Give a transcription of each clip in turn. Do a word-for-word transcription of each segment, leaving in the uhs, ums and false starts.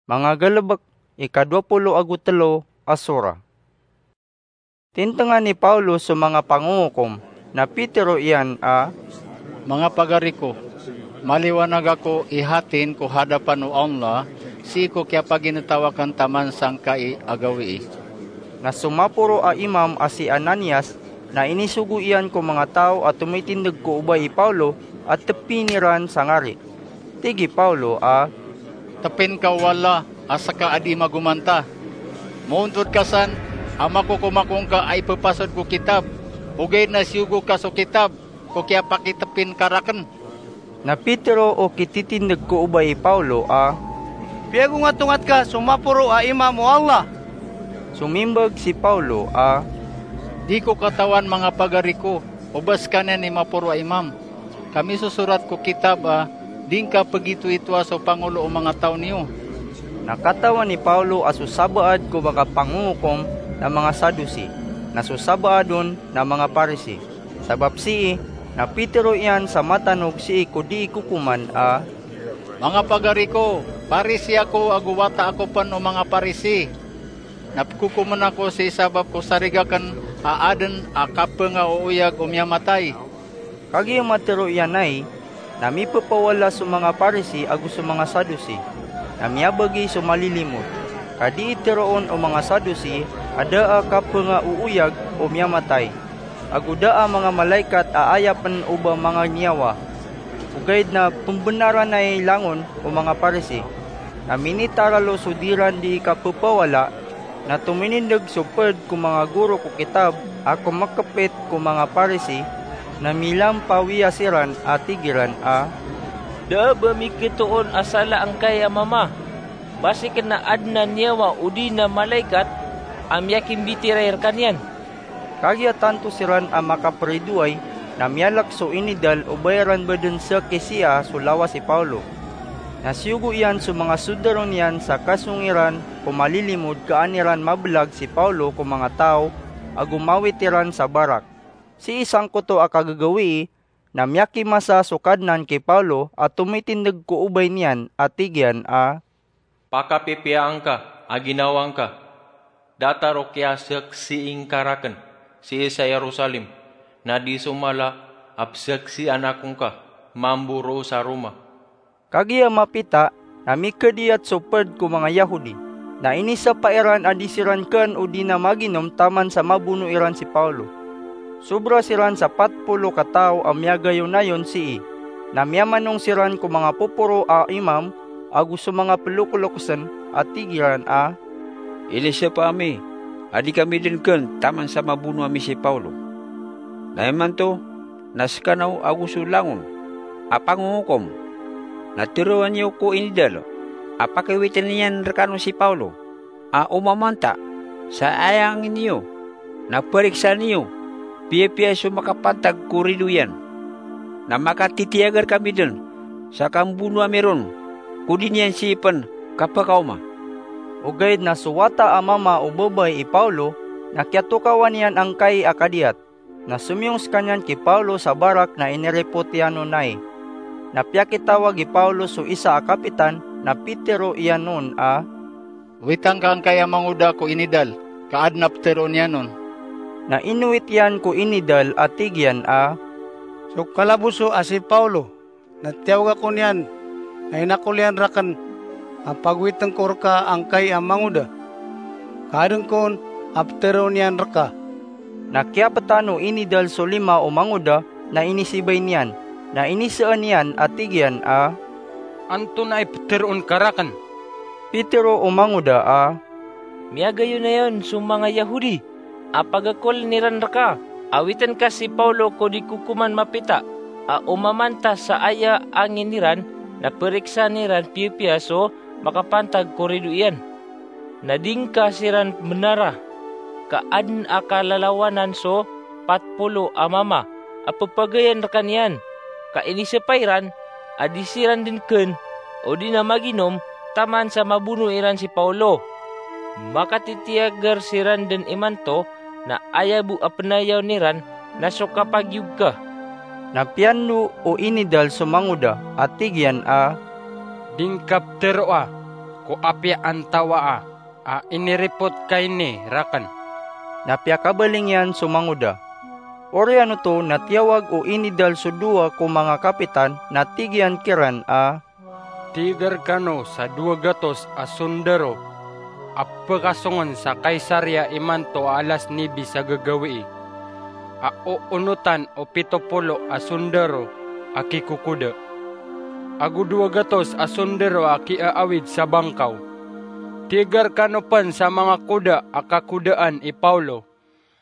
Manga Galebek, ika dowa polo ago telo a sura. Tintngan i Paolo so manga pangongokom, na pitero iyan a, "Manga pagari ko, maliwanag ako i hatin ko hadapan o Allah, sii ko kiyapaginetaw aken taman sangkai a gawii." Na so maporo a imam a si Ananias, na inisogo iyan ko manga taw a tomitindeg ko obay i Paolo a tepin iran sa ngari. Tig i Paolo a, "Tepin ka o Allah a seka a di magomanta. Moontod ka san a makokomakong ka a ipepasod ko kitab, ogaid na siyogo ka so kitab ko kiyapakitepin ka raken." Na pitero o kititindeg ko obay i Paolo a, "Piyagongatongat ka so maporo a imam o Allah." Somimbag si Paolo a, "Di ko katawan, manga pagari ko, o ba sekaniyan i maporo a imam. Ka misosorat ko kitab a di ngka pegitoitoa so pangolo o manga taw niyo." Na katawan i Paolo a so sabaad ko manga pangongokom na manga Sadusi, na so sabaad on na manga Parisi. Sabap sii, na pitero iyan sa matanog sii ko dii kokoman a, "Manga pagari ko, Parisi ako ago wata ako pen o manga Parisi. Na pekokomen ako sii sabap ko sarig aken a aden a kapengaooyag o miyamatay." Kagiya matero iyan ai, na mipepawala so manga Parisi ago so manga Sadusi, na miyabagi so malilimod. Ka dii teroon o manga Sadusi a da a kapengaooyag o miyamatay, ago da a manga malaikat a aya pen o ba manga niyawa. Ogaid na pembenaran ai langon o manga Parisi. Na minitaralo so diran dii kapepawala, na tominindeg so ped ko manga goro ko kitab a komakepit ko manga Parisi, na milampawiya siran a tig iran a, "Da a ba miketoon a sala angkai a mama, basiken na aden a niyawa odi na malaikat a miyakimbitiray rekaniyan." Kagiya tanto siran a makaperidoway, na miyalek so inidal o ba iran baden seki siya so lawas i Paolo. Na siyogo iyan so manga soldado niyan sa kasong iran ko malilimod ka an iran mabelag si Paolo ko manga taw ago mawit iran sa barak. Sii sangkoto a kagagawii, na miyakimasa so Kadnan ki Paolo a tomitindeg ko obay niyan a tig iyan a, "Pakapipiyaan ka a ginawa ngka. Datar o kiyaseksii ngka raken sii sa Jerusalem, na di so mala a peseksian ako ngka mambo roo sa Roma." Kagiya mapita, na mikadiyat so ped ko manga Yahudi, na inisapa iran a di siran ken odi na maginom taman sa mabono iran si Paolo. Sobra siran sa pat polo ka taw a miyagayonayon sii, na miyamanong siran ko manga poporo a imam ago so manga pelokolokesen a tig iran a, "Inisapa ami a di kami den ken taman sa mabono ami si Paolo. Na imanto, na sekano ago so langon a pangongokom, na teroa niyo ko inidal a pakiwiten iyan rekano si Paolo a omamanta sa aya angin iyo, na periksa niyo piyapiya so makapantag ko rido iyan. Na makatitiyager kami den sa kambono ami ron ko di niyan sii pen kapekaoma." Ogaid na so wata a mama o babay i Paolo na kiyatokawan iyan angkai a kadiyat. Na somiyong sekaniyan ki Paolo sa barak na iniripot iyan on ai. Na piyakitawag i Paolo so isa a kapitan, na pitero iyan on a, "Witan ka angkai a mangoda ko inidal ka aden a peteroon iyan on." Na inowit iyan ko inidal a tig iyan a, "So kalaboso a si Paolo, na tiyawag ako niyan, na inakol iyan raken a pagowiten ko reka angkai a mangoda ka aden kon a peteroon iyan reka." Na kiyapetan o inidal so lima o mangoda na inisibay niyan, na iniseen iyan a tig iyan a, "Antonaa i peteroon ka raken?" Pitero o mangoda a, "Miyagayonayon so manga Yahudi a pagakolen iran reka a witen ka si Paolo ko di kokoman mapita a omamanta sa aya angin iran, na periksan iran piyapiya so makapantag ko rido iyan. Na di ngka siran benara, ka aden a kalalawanan so pat polo a mama a pepagayan rekaniyan, ka inisapa iran a di siran den ken odi na maginom taman sa mabono iran si Paolo. Makatitiyager siran den imanto, na aya bo a penayawn iran na so kapagiyog ka." Na piyando o inidal so mangoda a tig iyan a, "Di ngka peteroa." ko apiya antawaa a iniripot ka ini rakn." Na piyakabaling iyan so mangoda. Oriyan oto na tiyawag o inidal so dowa ko manga kapitan na tig iyan kiran a, "Tig rkano sa dowa gatos a sondaro a pkasongn sa Kaisaria imanto a alas nibi sa gagawii, a oonotan o pito polo a sondaro a kikokoda, ago dowa gatos a sondaro a kiaawid sa bangkaw. Tig rkano pn sa manga koda a kakodaan i Pawlo,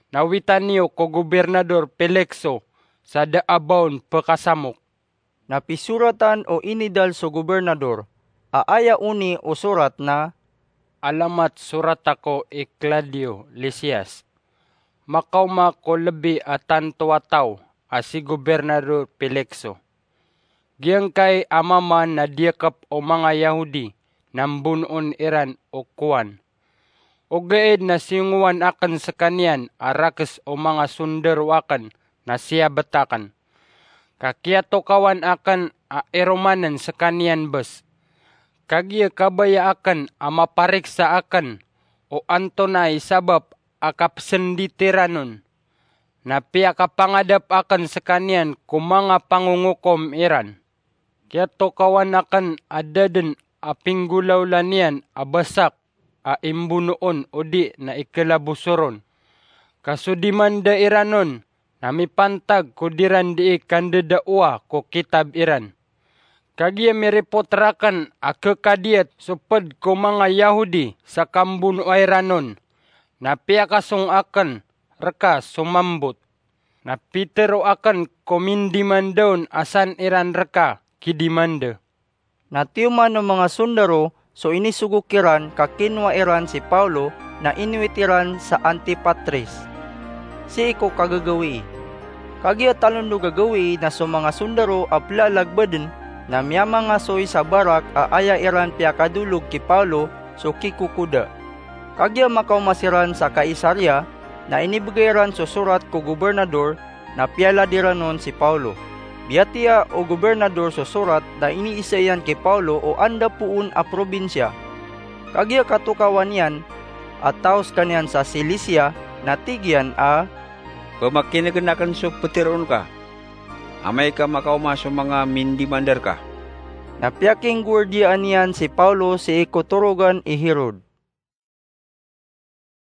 na wita niyo ko Gobirnador Pelikso sa da a ba on pkasamok." Na pisoratan o inidal so gobirnador, a aya oni o sorat na, "Alamat sorat ako i Claudio Lisias. Makaoma ko lbi a tanto a taw a si Gobirnador Pelikso. Giyangkai a mamaan na diyakp o manga Yahudi na mbonoon iran o kowan. Ogaid na singowan akn skaniyan a rakes o manga sondaro akn na siyabt akn, ka kiyatokawan akn a iromanen skaniyan bes. Kagiya kabaya akn a mapariksa akn o antonaa i sabap a kapsndit iran on, na piyakapangadap akn skaniyan ko manga pangongokom iran. Kiyatokawan akn a da dn a pinggolawla niyan a basak a imbonoon odi na ikalaboso ron. Ka so dimanda iran on na mipantag ko diran dii kandadaoa ko kitab iran. Kagiya miripot rakn a khakadiyat so pd ko manga Yahudi sa kambonoa iran on, na piyakasong akn rka so mambot. Na pitero akn ko mindimanda on a san iran rka kidimanda." Na tiyoman o manga sondaro so inisogo kiran ka kinowa iran si Pawlo na inowit iran sa Antipatris, sii ko kagagawii. Kagiya talondog a gawii na so manga sondaro a plalagbaden na miyamangasoy sa barak a aya iran piyakadolog ki Pawlo so kikokoda. Kagiya makaoma siran sa Kaisaria, na inibgay iran so sorat ko gobirnador, na piyalad iran on si Pawlo. Biyatiya o gobirnador so sorat na iniisa iyan ki Pawlo o anda poon a probinsiya. Kagiya katokawan iyan a taw skaniyan sa Silisiya, na tig iyan a, "Pmakinegen aken so peteroon ka. Amay ka makaoma so manga mindimanda reka." Na piyakinggowardiyaan iyan si Pawlo sii ko torogan i Herod.